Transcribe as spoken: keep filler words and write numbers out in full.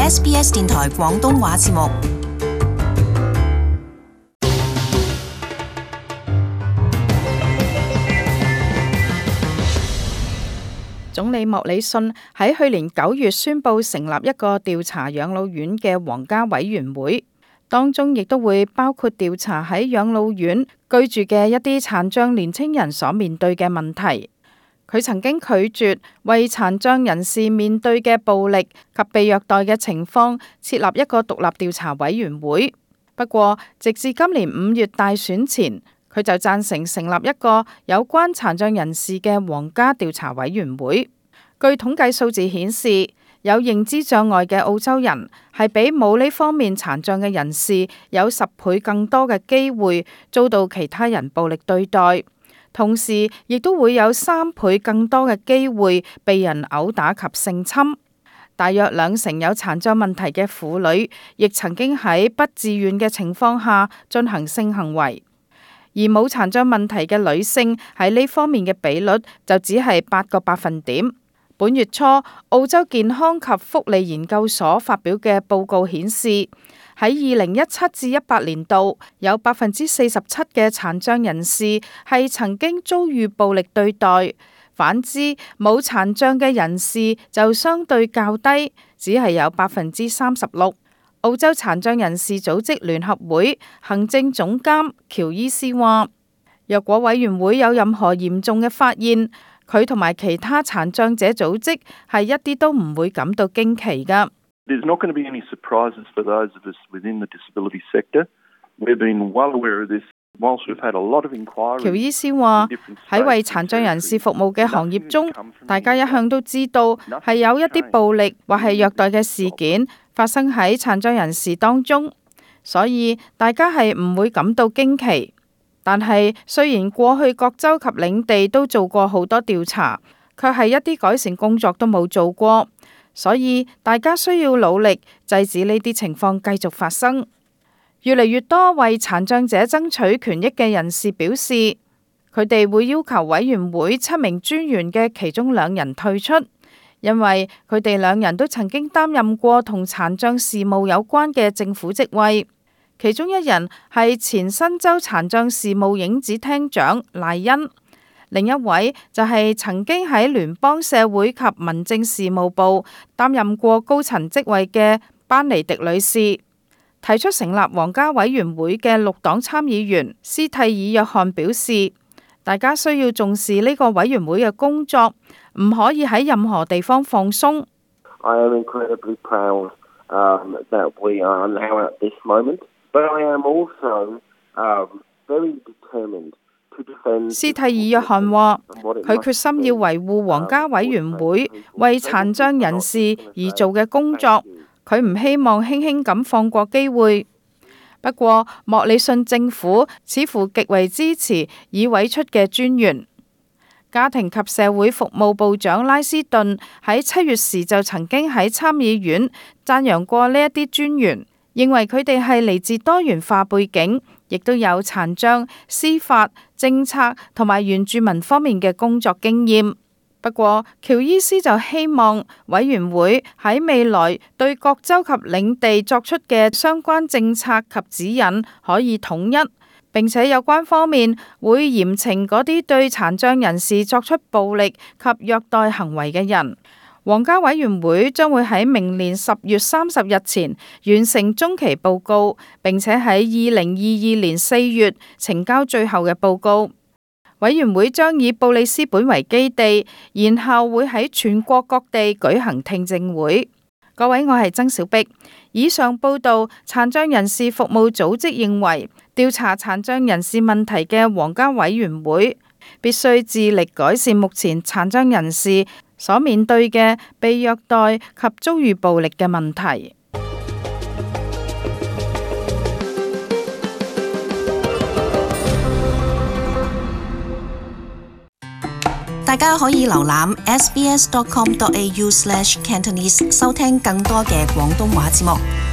S B S 電台廣東話節目。總理莫里遜喺去年九月宣布成立一個調查養老院嘅皇家委員會，當中亦都會包括調查喺養老院居住嘅一啲殘障年輕人所面對嘅問題。佢曾經拒絕為殘障人士面對嘅暴力及被虐待嘅情況設立一個獨立調查委員會。不過，直至今年五月大選前，佢就贊成成立一個有關殘障人士嘅皇家調查委員會。據統計數字顯示，有認知障礙嘅澳洲人係比冇呢方面殘障嘅人士有十倍更多嘅機會遭到其他人暴力對待，同時亦都會有三倍更多嘅機會被人毆打及性侵。大約兩成有殘障問題嘅婦女亦曾經喺不自願嘅情況下進行性行為。而冇殘障問題嘅女性喺呢方面嘅比率就只係八個百分點。本月初，澳洲健康及福利研究所發表嘅報告顯示，喺二零一七至一八年度，有百分之四十七嘅殘障人士係曾經遭遇暴力對待，反之冇殘障嘅人士就相對較低，只係有百分之三十六。澳洲殘障人士組織聯合會行政總監喬伊斯話，若果委員會有任何嚴重嘅發現，佢同埋其他殘障者組織係一啲都唔會感到驚奇㗎。There's not going to be any surprises for those of us within the disability sector. We've been well aware of this. Whilst we've had a lot of inquiries. 喬伊斯話喺為殘障人士服務嘅行業中，大家一向都知道係有一啲暴力或係虐待嘅事件發生喺殘障人士當中，所以大家係唔會感到驚奇。但係雖然過去各州及領地都做過好多調查，卻係一啲改善工作都冇做過，所以大家需要努力制止呢啲情況繼續發生。越嚟越多為殘障者爭取權益嘅人士表示，佢哋會要求委員會七名專員嘅其中兩人退出，因為佢哋兩人都曾經擔任過同殘障事務有關嘅政府職位。其中一人係前新州殘障事務影子廳長賴恩，另一位就係曾經喺聯邦社會及民政事務部擔任過高層職位嘅班尼迪女士。提出成立皇家委員會嘅綠黨參議員斯蒂爾約翰表示，大家需要重視呢個委員會嘅工作，唔可以喺任何地方放鬆。I am incredibly proud, um, that we are now at this moment. But I am also, um, very determined to defend. 斯蒂爾約翰話，佢決心要維護皇家委員會為殘障人士而做嘅工作，佢唔希望輕輕咁放過機會。不過，莫里遜政府似乎極為支持已委出嘅專員。家庭及社會服務部長拉斯頓喺七月時就曾經喺參議院讚揚過呢一啲專員，認為佢哋係嚟自多元化背景，亦都有殘障、司法、政策同埋原住民方面嘅工作經驗。不過，喬伊斯就希望委員會喺未來對各州及領地作出嘅相關政策及指引可以統一，並且有關方面會嚴懲嗰啲對殘障人士作出暴力及虐待行為嘅人。皇家委員會將會喺明年十月三十日前完成中期報告，並且喺二零二二年四月呈交最後嘅報告。委員會將以布里斯本為基地，然後會喺全國各地舉行聽證會。各位，我係曾小碧。以上報道，殘障人士服務組織認為，調查殘障人士問題嘅皇家委員會必須致力改善目前殘障人士所面對嘅被虐待及遭遇暴力嘅問題。大家可以瀏覽 s b s dot com dot a u slash cantonese 收聽更多嘅廣東話節目。